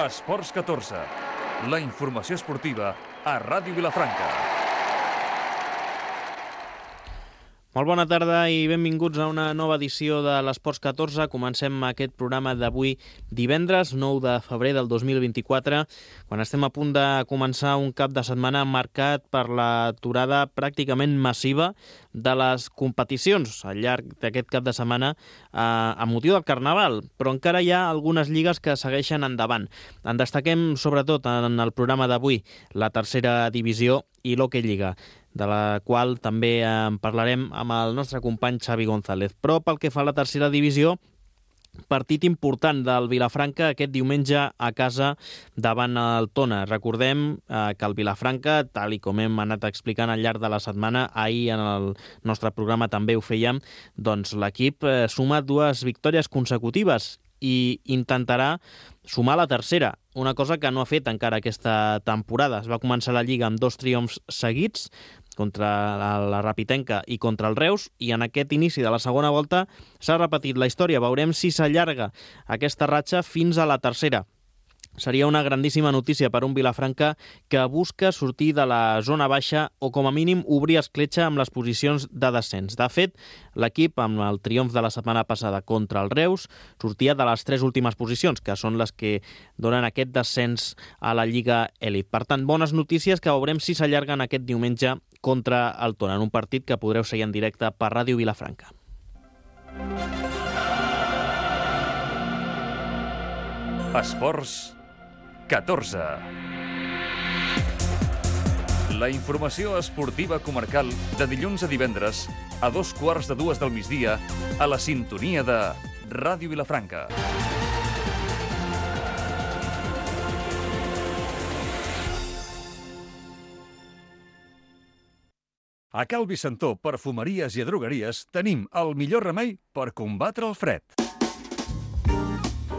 Esports 14, la informació esportiva a Ràdio Vilafranca. Molt bona tarda i benvinguts a una nova edició de l'Esports 14. Comencem aquest programa d'avui divendres, 9 de febrer del 2024, quan estem a punt de començar un cap de setmana marcat per l'aturada pràcticament massiva de les competicions al llarg d'aquest cap de setmana a motiu del Carnaval, però encara hi ha algunes lligues que segueixen endavant. En destaquem sobretot en el programa d'avui la tercera divisió i l'Hockey Lliga, de la qual també en parlarem amb el nostre company Xavi González. Però pel que fa a la tercera divisió, partit important del Vilafranca aquest diumenge a casa davant el Tona. Recordem que el Vilafranca, tal i com hem anat explicant al llarg de la setmana, ahir en el nostre programa també ho fèiem, doncs l'equip suma 2 victòries consecutives i intentarà sumar la tercera, una cosa que no ha fet encara aquesta temporada. Es va començar la Lliga amb 2 triomfs seguits, contra la Rapitenca i contra el Reus, i en aquest inici de la segona volta s'ha repetit la història. Veurem si s'allarga aquesta ratxa fins a la tercera. Seria una grandíssima notícia per un Vilafranca que busca sortir de la zona baixa o com a mínim obrir escletxa amb les posicions de descens. De fet, l'equip, amb el triomf de la setmana passada contra el Reus, sortia de les 3 últimes posicions, que són les que donen aquest descens a la Lliga Elit. Per tant, bones notícies que veurem si s'allarguen aquest diumenge contra el Tona, en un partit que podreu seguir en directe per Ràdio Vilafranca. Esports 14. La informació esportiva comarcal de dilluns a divendres a 2:15 del migdia a la sintonia de Ràdio Vilafranca. A Cal Vicentó, perfumeries i drogueries, tenim el millor remei per combatre el fred.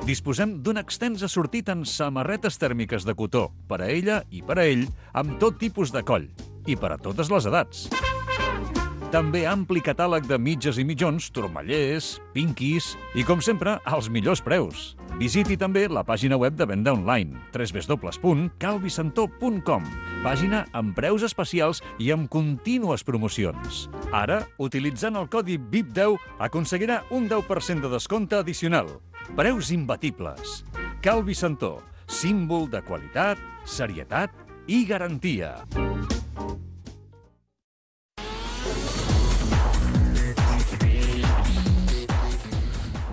Disposem d'un extens assortit en samarretes tèrmiques de cotó, per a ella i per a ell, amb tot tipus de coll, i per a totes les edats. També ampli catàleg de mitges i mitjons, turmallers, pinquis i, com sempre, als millors preus. Visiti també la pàgina web de venda online, www.calvicentó.com, pàgina amb preus especials i amb contínues promocions. Ara, utilitzant el codi VIP10, aconseguirà un 10% de descompte addicional. Preus imbatibles. Cal Vicentó, símbol de qualitat, serietat i garantia.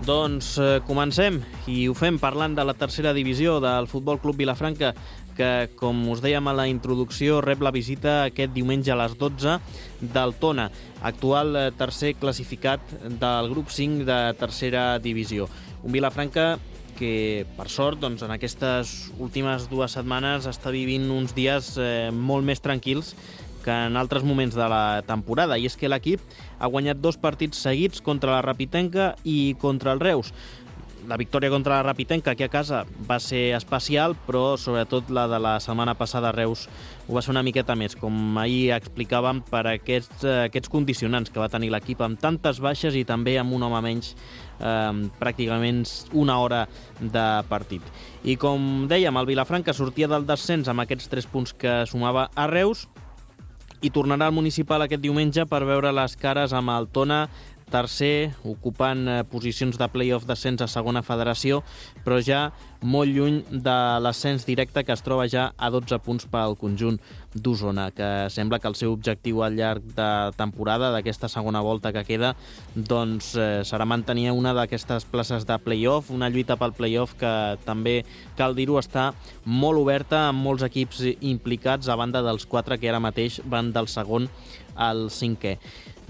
Doncs comencem, i ho fem parlant de la tercera divisió del Futbol Club Vilafranca, que, com us dèiem a la introducció, rep la visita aquest diumenge a les 12 del Tona, actual tercer classificat del grup 5 de tercera divisió. Un Vilafranca que, per sort, doncs, en aquestes últimes 2 setmanes està vivint uns dies molt més tranquils que en altres moments de la temporada, i és que l'equip ha guanyat 2 partits seguits contra la Rapitenca i contra el Reus. La victòria contra la Rapitenca aquí a casa va ser especial, però sobretot la de la setmana passada a Reus ho va ser una miqueta més, com ahir explicàvem, per aquests condicionants que va tenir l'equip, amb tantes baixes i també amb un home menys, pràcticament una hora de partit. I com dèiem, el Vilafranca sortia del descens amb aquests 3 punts que sumava a Reus i tornarà al municipal aquest diumenge per veure les cares amb el Tona, tercer, ocupant posicions de play-off descens a segona federació, però ja molt lluny de l'ascens directe, que es troba ja a 12 punts pel conjunt d'Osona, que sembla que el seu objectiu al llarg de temporada, d'aquesta segona volta que queda, doncs serà mantenir una d'aquestes places de play-off, una lluita pel play-off que també, cal dir-ho, està molt oberta, amb molts equips implicats, a banda dels 4 que ara mateix van del segon al 5è.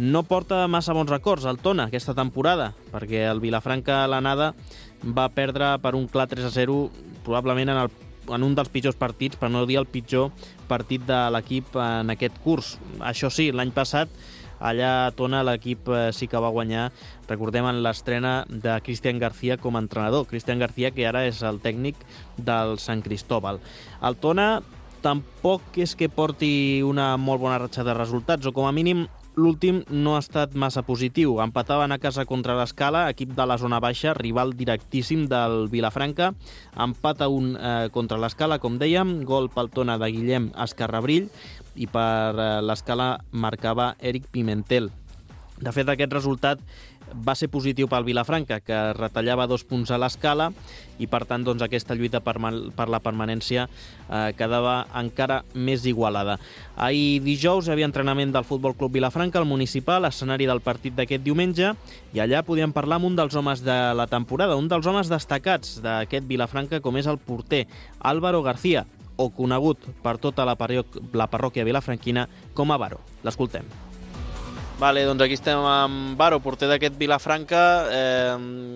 No porta massa bons records el Tona aquesta temporada, perquè el Vilafranca a l'anada va perdre per un clar 3-0, probablement en un dels pitjors partits, per no dir el pitjor partit de l'equip en aquest curs. Això sí, l'any passat allà a Tona l'equip sí que va guanyar, recordem, en l'estrena de Cristian García com a entrenador. Cristian García, que ara és el tècnic del Sant Cristóbal. El Tona tampoc és que porti una molt bona ratxa de resultats, o com a mínim l'últim no ha estat massa positiu. Empataven a casa contra l'Escala, equip de la zona baixa, rival directíssim del Vilafranca. Empat a 1 contra l'Escala, com dèiem, gol pel Tona de Guillem Escarrabrill, i per l'Escala marcava Eric Pimentel. De fet, aquest resultat va ser positiu pel Vilafranca, que retallava 2 punts a l'Escala, i per tant doncs, aquesta lluita per la permanència quedava encara més igualada. Ahir dijous hi havia entrenament del Futbol Club Vilafranca al Municipal, escenari del partit d'aquest diumenge, i allà podíem parlar amb un dels homes de la temporada, un dels homes destacats d'aquest Vilafranca, com és el porter Álvaro García, o conegut per tota la parròquia vilafranquina com a Varo. L'escoltem. Vale, doncs aquí estem amb Varo, porter d'aquest Vilafranca,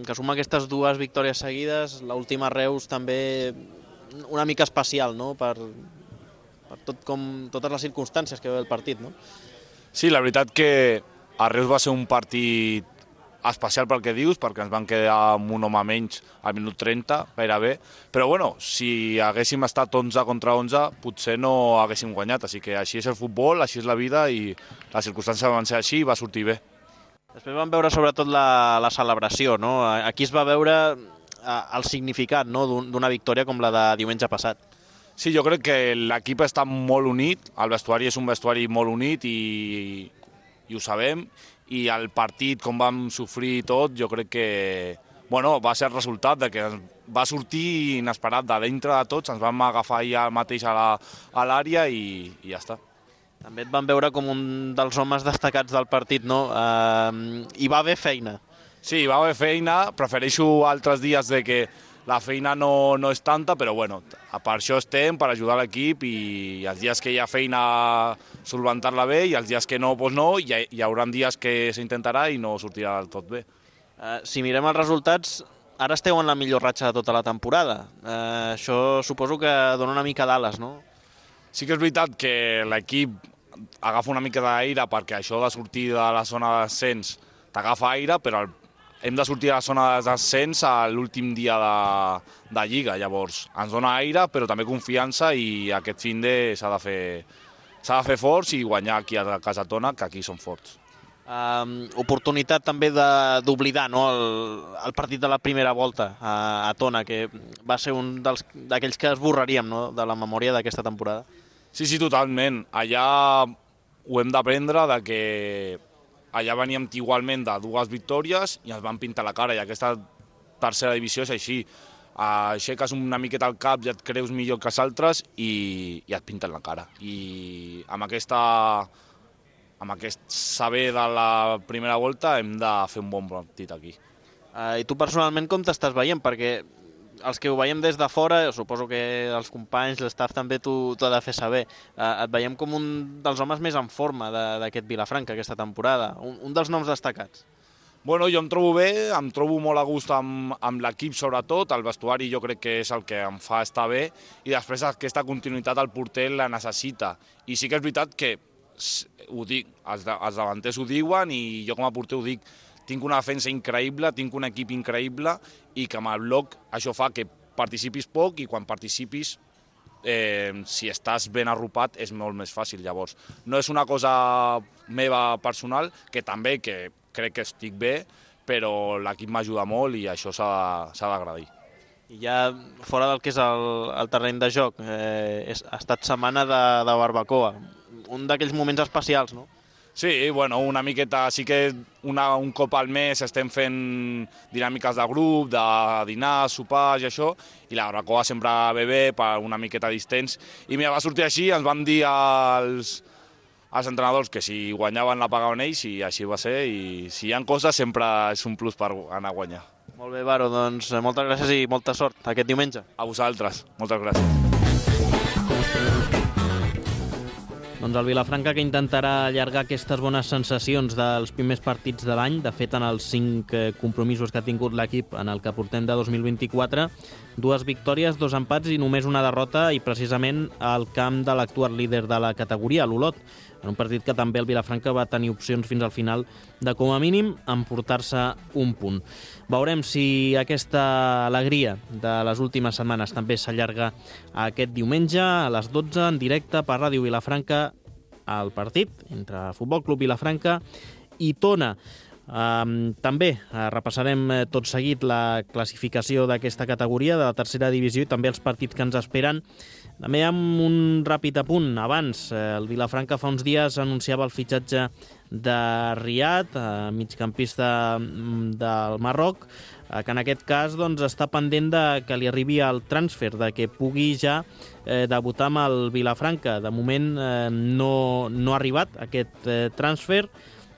que suma aquestes 2 victòries seguides. L'última a Reus també una mica especial, no?, per totes les circumstàncies que ve el partit, no? Sí, la veritat que a Reus va ser un partit especial pel que dius, perquè ens van quedar amb un home menys al minut 30, gairebé. Però bueno, si haguéssim estat 11 contra 11, potser no haguéssim guanyat. Així que així és el futbol, així és la vida, i les circumstàncies van ser així i va sortir bé. Després vam veure sobretot la celebració, no? Aquí es va veure el significat, no?, d'una victòria com la de diumenge passat. Sí, jo crec que l'equip està molt unit, el vestuari és un vestuari molt unit i ho sabem, i el partit, com vam sofrir tot, jo crec que va ser el resultat de que va sortir inesperat de dintre de tots, ens vam agafar ja mateix a l'àrea i ja està. També et van veure com un dels homes destacats del partit, no? Hi va haver feina. Sí, hi va haver feina, prefereixo altres dies de que la feina no és tanta, però bueno, per això estem, per ajudar l'equip, i els dies que hi ha feina solventar-la bé, i els dies que no, doncs no, hi haurà dies que s'intentarà i no sortirà del tot bé. Si mirem els resultats, ara esteu en la millor ratxa de tota la temporada. Això suposo que dona una mica d'ales, no? Sí que és veritat que l'equip agafa una mica d'aire, perquè això de sortir de la zona de descens t'agafa aire, però hem de sortir de la zona de descens a l'últim dia de Lliga. Llavors, ens dona aire, però també confiança, i aquest finde s'ha de fer forts i guanyar aquí a casa Tona, que aquí són forts. Oportunitat també d'oblidar, no?, el partit de la primera volta a Tona, que va ser un d'aquells que esborraríem, no?, de la memòria d'aquesta temporada. Sí, totalment. Allà ho hem d'aprendre, de que allà veníem igualment de 2 victòries i ens van pintar la cara, i aquesta tercera divisió és així. Aixeques una miqueta al cap i et creus millor que els altres i et pinten la cara. I amb aquest saber de la primera volta hem de fer un bon partit aquí. I tu personalment com t'estàs veient? Perquè els que ho veiem des de fora, suposo que els companys, l'estaf també t'ho ha de fer saber, et veiem com un dels homes més en forma d'aquest Vilafranca aquesta temporada, un dels noms destacats. Bueno, jo em trobo bé, em trobo molt a gust amb l'equip sobretot, el vestuari jo crec que és el que em fa estar bé, i després aquesta continuïtat el porter la necessita. I sí que és veritat que, ho dic, els davanters ho diuen i jo com a porter ho dic, tinc una defensa increïble, tinc un equip increïble, i que amb el bloc això fa que participis poc, i quan participis, si estàs ben arropat, és molt més fàcil. Llavors, no és una cosa meva personal, que també que crec que estic bé, però l'equip m'ajuda molt i això s'ha d'agrair. I ja fora del que és el terreny de joc, ha estat setmana de barbacoa, un d'aquells moments especials, no? Sí, bueno, una miqueta, sí que un cop al mes estem fent dinàmiques de grup, de dinar, sopars i això, i la barbacoa sempre ve bé per una miqueta distents. I mira, va sortir així, ens van dir als entrenadors que si guanyaven la pagaven ells, i així va ser, i si hi ha coses sempre és un plus per anar a guanyar. Molt bé, Varo, doncs moltes gràcies i molta sort aquest diumenge. A vosaltres, moltes gràcies. Doncs el Vilafranca, que intentarà allargar aquestes bones sensacions dels primers partits de l'any. De fet, en els 5 compromisos que ha tingut l'equip en el que portem de 2024, 2 victòries, 2 empats i només una derrota, i precisament al camp de l'actual líder de la categoria, l'Olot, en un partit que també el Vilafranca va tenir opcions fins al final de, com a mínim, emportar-se un punt. Veurem si aquesta alegria de les últimes setmanes també s'allarga aquest diumenge a les 12 en directe per Ràdio Vilafranca, el partit entre Futbol Club Vilafranca i Tona. També repassarem tot seguit la classificació d'aquesta categoria de la tercera divisió i també els partits que ens esperen. També amb un ràpid apunt. Abans, el Vilafranca fa uns dies anunciava el fitxatge de Riyad, migcampista del Marroc, que en aquest cas està pendent de que li arribi el transfer, de que pugui ja debutar amb el Vilafranca. De moment no ha arribat aquest transfer,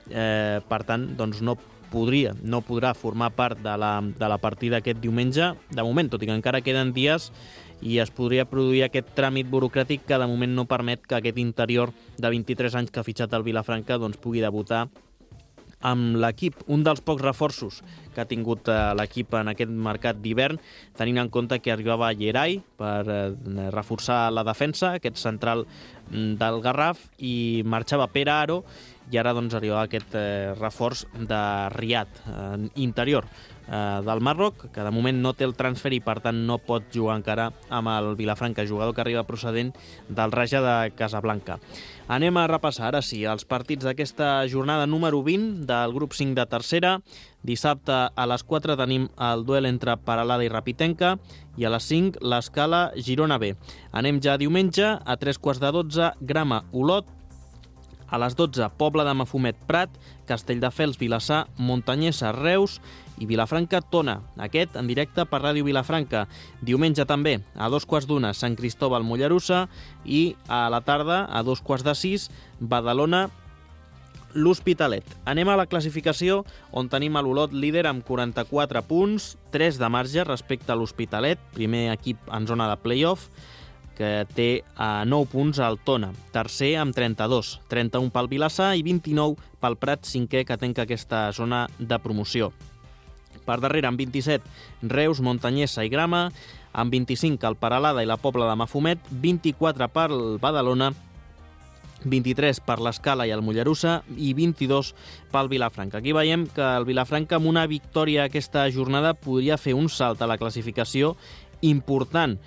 per tant no podrà formar part de la partida aquest diumenge, de moment, tot i que encara queden dies i es podria produir aquest tràmit burocràtic que de moment no permet que aquest interior de 23 anys que ha fitxat el Vilafranca pugui debutar amb l'equip. Un dels pocs reforços que ha tingut l'equip en aquest mercat d'hivern, tenint en compte que arribava Yeray per reforçar la defensa, aquest central del Garraf, i marxava Pere Aro, i ara arribava aquest reforç de Riyad, interior del Marroc, que de moment no té el transfer i per tant no pot jugar encara amb el Vilafranca, jugador que arriba procedent del Raja de Casablanca. Anem a repassar ara sí els partits d'aquesta jornada número 20 del grup 5 de tercera. Dissabte a les 4 tenim el duel entre Peralada i Rapitenca i a les 5 l'Escala Girona B. Anem ja diumenge a 3:15, Grama Olot. A les 12, Pobla de Mafumet Prat, Castelldefels Vilassar, Montanyesa Reus i Vilafranca Tona. Aquest en directe per Ràdio Vilafranca. Diumenge també, a 2:15, Sant Cristóbal Mollerussa i a la tarda, a 2:15, Badalona l'Hospitalet. Anem a la classificació, on tenim a l'Olot líder amb 44 punts, 3 de marge respecte a l'Hospitalet, primer equip en zona de play-off, que té 9 punts al Tona. Tercer amb 32, 31 pel Vilassar i 29 pel Prat, cinquè, que tanca aquesta zona de promoció. Per darrere, amb 27, Reus, Montanyesa i Grama, amb 25 el Peralada i la Pobla de Mafumet, 24 pel Badalona, 23 per l'Escala i el Mollerussa i 22 pel Vilafranca. Aquí veiem que el Vilafranca, amb una victòria aquesta jornada, podria fer un salt a la classificació important.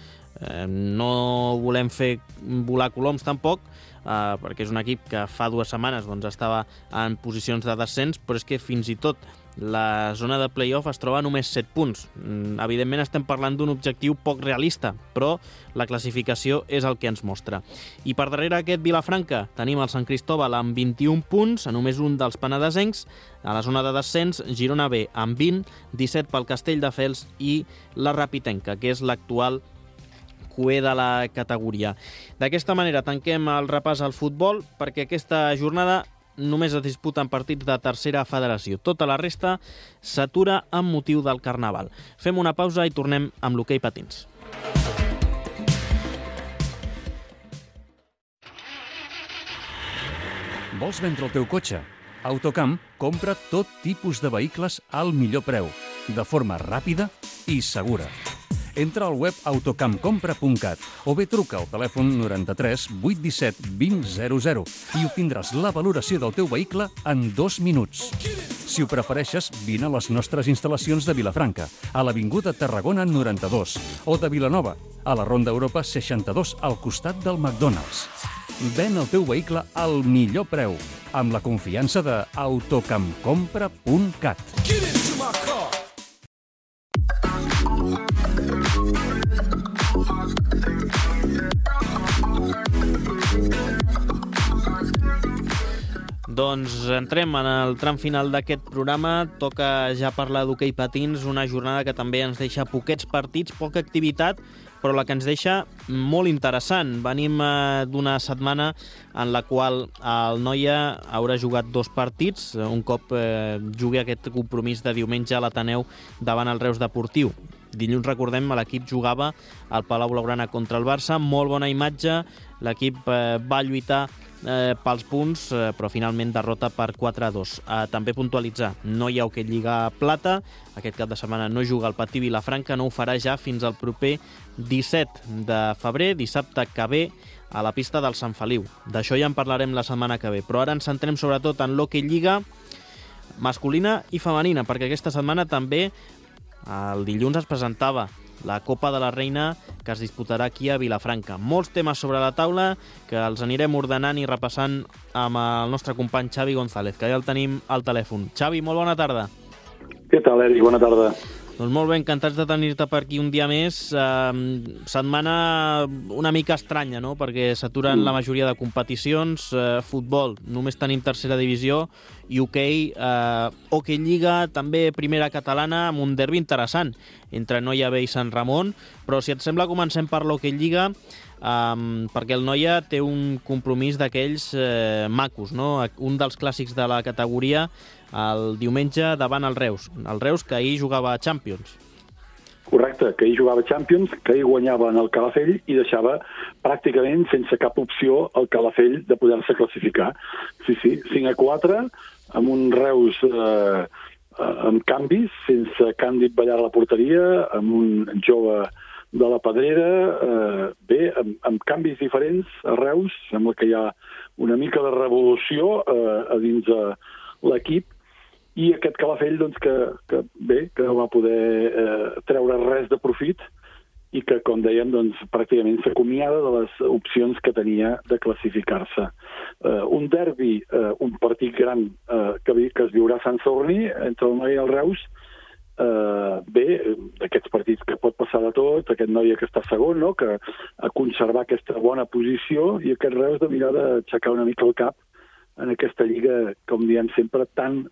No volem fer volar coloms tampoc, perquè és un equip que fa 2 setmanes estava en posicions de descens, però és que fins i tot la zona de play-off es troba a només 7 punts. Evidentment estem parlant d'un objectiu poc realista, però la classificació és el que ens mostra. I per darrere aquest Vilafranca tenim el Sant Cristóbal amb 21 punts, a només un dels penedesencs. A la zona de descens, Girona B amb 20, 17 pel Castelldefels i la Rapitenca, que és l'actual cué de la categoria. D'aquesta manera tanquem el repàs al futbol, perquè aquesta jornada només es disputen partits de tercera federació. Tota la resta s'atura amb motiu del Carnaval. Fem una pausa i tornem amb l'hoquei patins. Vols vendre el teu cotxe? Autocamp compra tot tipus de vehicles al millor preu, de forma ràpida i segura. Entra al web autocampcompra.cat o bé truca al telèfon 93 817 2000 i obtindràs la valoració del teu vehicle en 2 minuts. Si ho prefereixes, vine a les nostres instal·lacions de Vilafranca, a l'Avinguda Tarragona 92, o de Vilanova, a la Ronda Europa 62, al costat del McDonald's. Ven el teu vehicle al millor preu, amb la confiança de autocampcompra.cat. Doncs entrem en el tram final d'aquest programa. Toca ja parlar d'hoquei patins, una jornada que també ens deixa poquets partits, poca activitat, però la que ens deixa molt interessant. Venim d'una setmana en la qual el Noia haurà jugat 2 partits, un cop jugui aquest compromís de diumenge a l'Ateneu davant el Reus Deportiu. Dilluns, recordem, l'equip jugava al Palau Blaugrana contra el Barça, molt bona imatge, l'equip va lluitar pels punts, però finalment derrota per 4-2. També puntualitzar, no hi ha hoquei Lliga Plata, aquest cap de setmana no juga el Patí Vilafranca, no ho farà ja fins al proper 17 de febrer, dissabte que ve, a la pista del Sant Feliu. D'això ja en parlarem la setmana que ve, però ara ens centrem sobretot en l'hoquei Lliga masculina i femenina, perquè aquesta setmana també el dilluns es presentava la Copa de la Reina que es disputarà aquí a Vilafranca. Molts temes sobre la taula que els anirem ordenant i repassant amb el nostre company Xavi González, que ja el tenim al telèfon. Xavi, molt bona tarda. Què tal, Eric? Bona tarda. Doncs molt bé, encantats de tenir-te per aquí un dia més. Setmana una mica estranya, no?, perquè s'aturen la majoria de competicions. Futbol, només tenim tercera divisió, i hoquei, hoquei Lliga, també primera catalana, amb un derbi interessant entre Noia B i Sant Ramon. Però si et sembla, comencem per l'hoquei Lliga, perquè el Noia té un compromís d'aquells macos, no?, un dels clàssics de la categoria, el diumenge davant el Reus que ahir jugava a Champions. Correcte, que ahir jugava Champions, que ahir guanyava en el Calafell i deixava pràcticament sense cap opció el Calafell de poder-se classificar. Sí, 5-4, amb un Reus amb canvis, sense Càndid ballar a la porteria, amb un jove de la Pedrera, bé, amb canvis diferents a Reus. Sembla que hi ha una mica de revolució a dins de l'equip, i aquest Calafell doncs, que no va poder treure res de profit i que, com dèiem, doncs, pràcticament s'acomiada de les opcions que tenia de classificar-se. Un derbi, un partit gran que es viurà a Sant Sadurní entre el Noia i el Reus, bé, d'aquests partits que pot passar de tot, aquest Noia que està segon, no?, que a conservar aquesta bona posició, i aquest Reus de mirar d'aixecar una mica el cap en aquesta lliga, com diem sempre, tan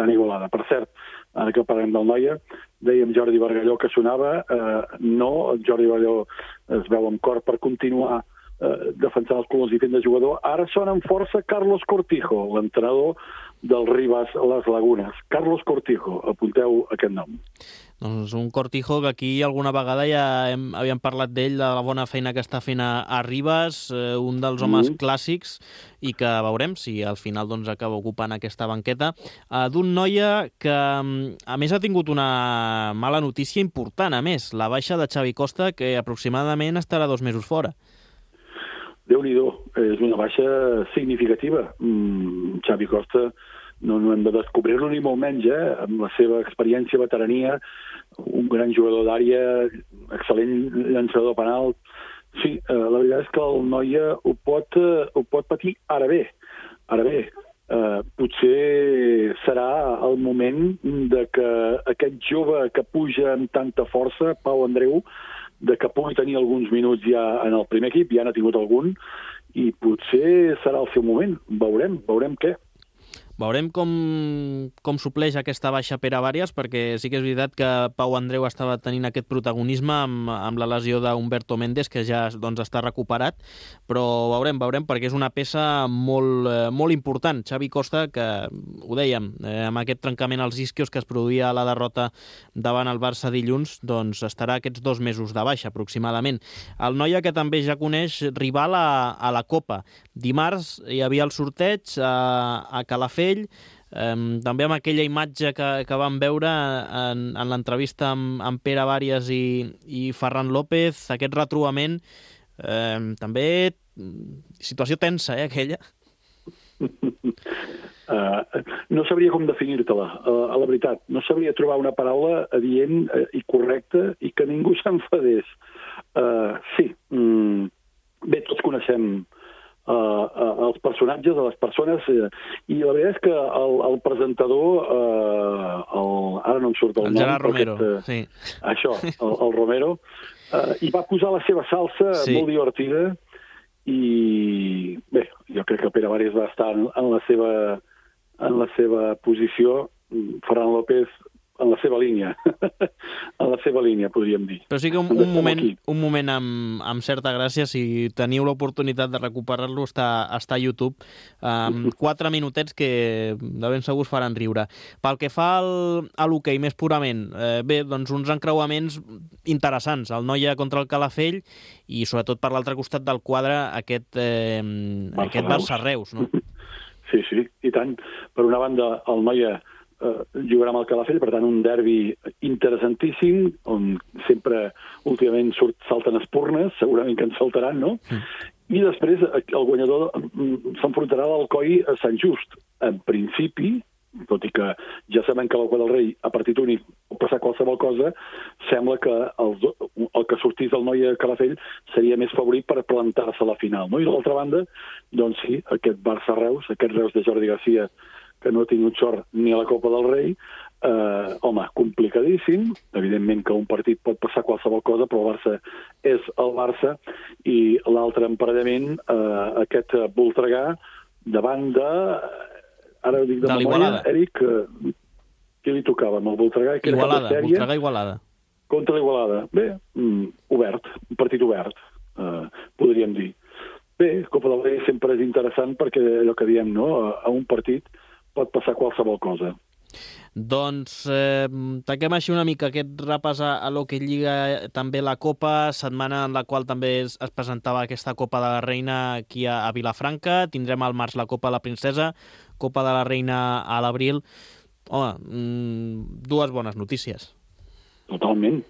igualada. Per cert, ara que parlem del Noia, dèiem Jordi Bargalló que sonava, no, Jordi Bargalló es veu amb cor per continuar defensant els colors i fent de jugador. Ara sona amb força Carlos Cortijo, l'entrenador del Rivas Les Lagunes. Carlos Cortijo, apunteu aquest nom. Doncs un Cortijo que aquí alguna vegada ja havíem parlat d'ell, de la bona feina que està fent a Rivas, un dels homes clàssics, i que veurem si al final doncs, acaba ocupant aquesta banqueta d'un Noia que, a més, ha tingut una mala notícia important, a més, la baixa de Xavi Costa, que aproximadament estarà 2 mesos fora. Déu-n'hi-do, és una baixa significativa. Xavi Costa no hem de descobrir-lo ni molt menys, amb la seva experiència, veterania, un gran jugador d'àrea, excel·lent llançador penal. Sí, la veritat és que el Noia ho pot patir. Ara bé, potser serà el moment de que aquest jove que puja amb tanta força, Pau Andreu, de que pugui tenir alguns minuts ja en el primer equip, ja n'ha tingut algun, i potser serà el seu moment. Veurem què. Veurem com supleix aquesta baixa Pere Vàries, perquè sí que és veritat que Pau Andreu estava tenint aquest protagonisme amb la lesió d'Humberto Méndez, que ja doncs, està recuperat, però veurem, perquè és una peça molt important. Xavi Costa, que ho dèiem, amb aquest trencament als isquios que es produïa a la derrota davant el Barça dilluns, doncs estarà aquests 2 mesos de baixa, aproximadament. El Noia, que també ja coneix rival a la Copa. Dimarts hi havia el sorteig a Calafell, també amb aquella imatge que vam veure en l'entrevista amb Pere Vàries i Ferran López, aquest retrobament, també situació tensa, aquella. No sabria com definir-te-la, a la veritat. No sabria trobar una paraula adient i correcta i que ningú s'enfadés. Sí, bé, tots coneixem els personatges, les persones, i la veritat és que el presentador, ara no em surt el nom. Gerard Romero, sí. Això, el Romero, hi va posar la seva salsa molt divertida, i bé, jo crec que Pere Vàries va estar en la seva posició, Ferran López en la seva línia, podríem dir. Però sí que un moment amb certa gràcia, si teniu l'oportunitat de recuperar-lo, està a YouTube, 4 minutets que de ben segur us faran riure. Pel que fa a l'hoquei més purament, bé, doncs uns encreuaments interessants, el Noia contra el Calafell, i sobretot per l'altre costat del quadre aquest Barça-Reus, no? Sí, i tant. Per una banda, el Noia jugarà amb el Calafell, per tant un derbi interessantíssim, on sempre últimament salten espurnes, segurament que en saltaran, no? I després el guanyador s'enfrontarà a l'Alcoi a Sant Just. En principi, tot i que ja sabem que la Copa del Rei a partit únic pot passar qualsevol cosa, sembla que el que sortís del Noia Calafell seria més favorit per plantar-se a la final, no? I d'altra banda, doncs sí, aquest Barça-Reus, aquest Reus de Jordi Garcia, que no ha tingut sort ni a la Copa del Rei, home, complicadíssim. Evidentment que un partit pot passar qualsevol cosa, però el Barça és el Barça, i l'altre emparellament, aquest Voltregà, davant de... Ara ho dic de memòria, Eric, qui li tocava amb el Voltregà? Igualada, Voltregà Igualada. Contra l'Igualada. Bé, obert, un partit obert, podríem dir. Bé, Copa del Rei sempre és interessant perquè allò que diem, no? A un partit pot passar qualsevol cosa. Doncs tanquem així una mica aquest repàs a lo que lliga també la Copa, setmana en la qual també es presentava aquesta Copa de la Reina aquí a Vilafranca. Tindrem al març la Copa de la Princesa, Copa de la Reina a l'abril. Home, dues bones notícies. Totalment.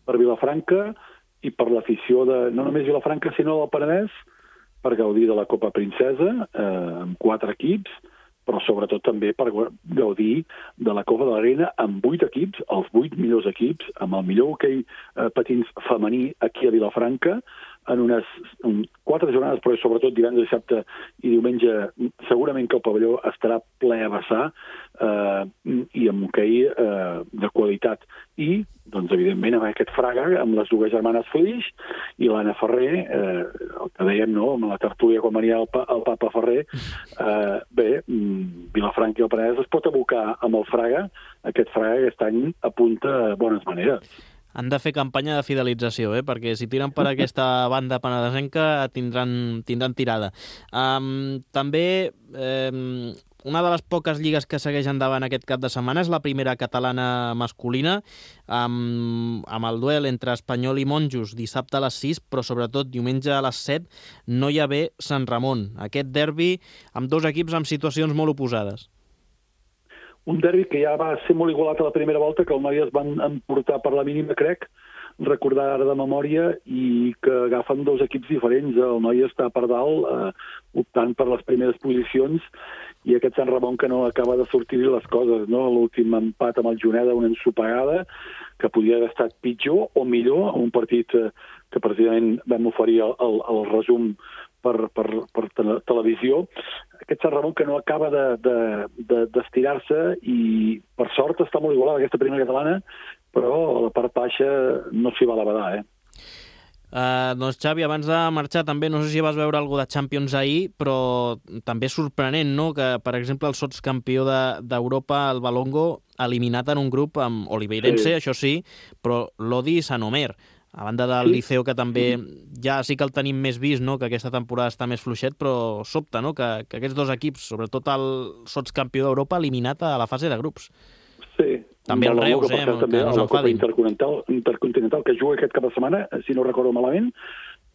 Per Vilafranca i per l'afició de no només Vilafranca, sinó del Penedès, per gaudir de la Copa Princesa, amb 4 equips, però sobretot també per gaudir de la Copa de la Reina amb 8 equips, els 8 millors equips, amb el millor hoquei patins femení aquí a Vilafranca, en unes 4 jornades, però sobretot divendres, dissabte i diumenge, segurament que el pavelló estarà ple a vessar, i amb hoquei de qualitat. I, doncs, evidentment, amb aquest Fraga, amb les dues germanes Flix i l'Anna Ferrer, el que dèiem, no?, amb la tertúlia quan venia el Papa Ferrer, bé, Vilafranca i el Penedès es pot abocar amb el Fraga, aquest Fraga que aquest any apunta bones maneres. Han de fer campanya de fidelització, perquè si tiren per aquesta banda penedesenca tindran tirada. També una de les poques lligues que segueix endavant aquest cap de setmana és la primera catalana masculina, amb el duel entre Espanyol i Monjos dissabte a les 6, però sobretot diumenge a les 7 no hi ha bé Sant Ramon. Aquest derbi amb 2 equips amb situacions molt oposades. Un derbi que ja va ser molt igualat a la primera volta, que el Noia es van emportar per la mínima, crec, recordar ara de memòria, i que agafen 2 equips diferents. El Noia està per dalt, optant per les primeres posicions, i aquest Sant Ramon que no acaba de sortir-hi les coses, no? L'últim empat amb el Juneda, una ensopegada, que podia haver estat pitjor o millor, un partit que precisament vam oferir el resum per televisió. Aquest Sant Ramon que no acaba d'estirar-se, i per sort està molt igualada aquesta primera catalana, però a la part baixa no s'hi va a la badar, Doncs Xavi, abans de marxar també, no sé si vas veure alguna de Champions ahir, però també sorprenent, no?, que per exemple el sotscampió d'Europa, el Valongo, eliminat en un grup amb Oliveirense, sí, això sí, però Lodi i Sant Omer, a banda del Liceo, que també ja sí que el tenim més vist, no?, que aquesta temporada està més fluixet, però sobta, no?, que aquests 2 equips, sobretot el sotscampió d'Europa, eliminat a la fase de grups. Sí. També el Reus, que no s'enfadin. La Copa Intercontinental, que juga aquest cap de setmana, si no recordo malament,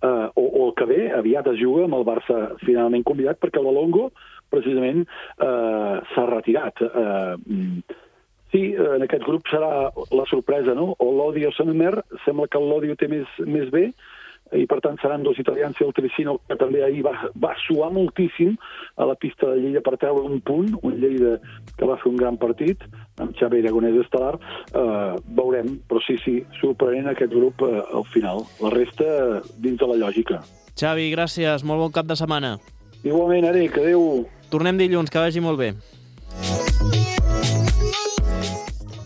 o el que ve, aviat es juga amb el Barça finalment convidat, perquè el Valongo, precisament, s'ha retirat. Sí, en aquest grup serà la sorpresa, no? O l'Odi o Sant Omer, sembla que el Lodi ho té més bé, i per tant seran 2 italians, i el Tricino, que també ahir va suar moltíssim a la pista de Lleida per treure un punt, un Lleida que va fer un gran partit, amb Xavi Aragonès estel·lar. Veurem, però sí, sorprenent aquest grup al final. La resta dins de la lògica. Xavi, gràcies, molt bon cap de setmana. Igualment, Eric, adéu. Tornem dilluns, que vagi molt bé.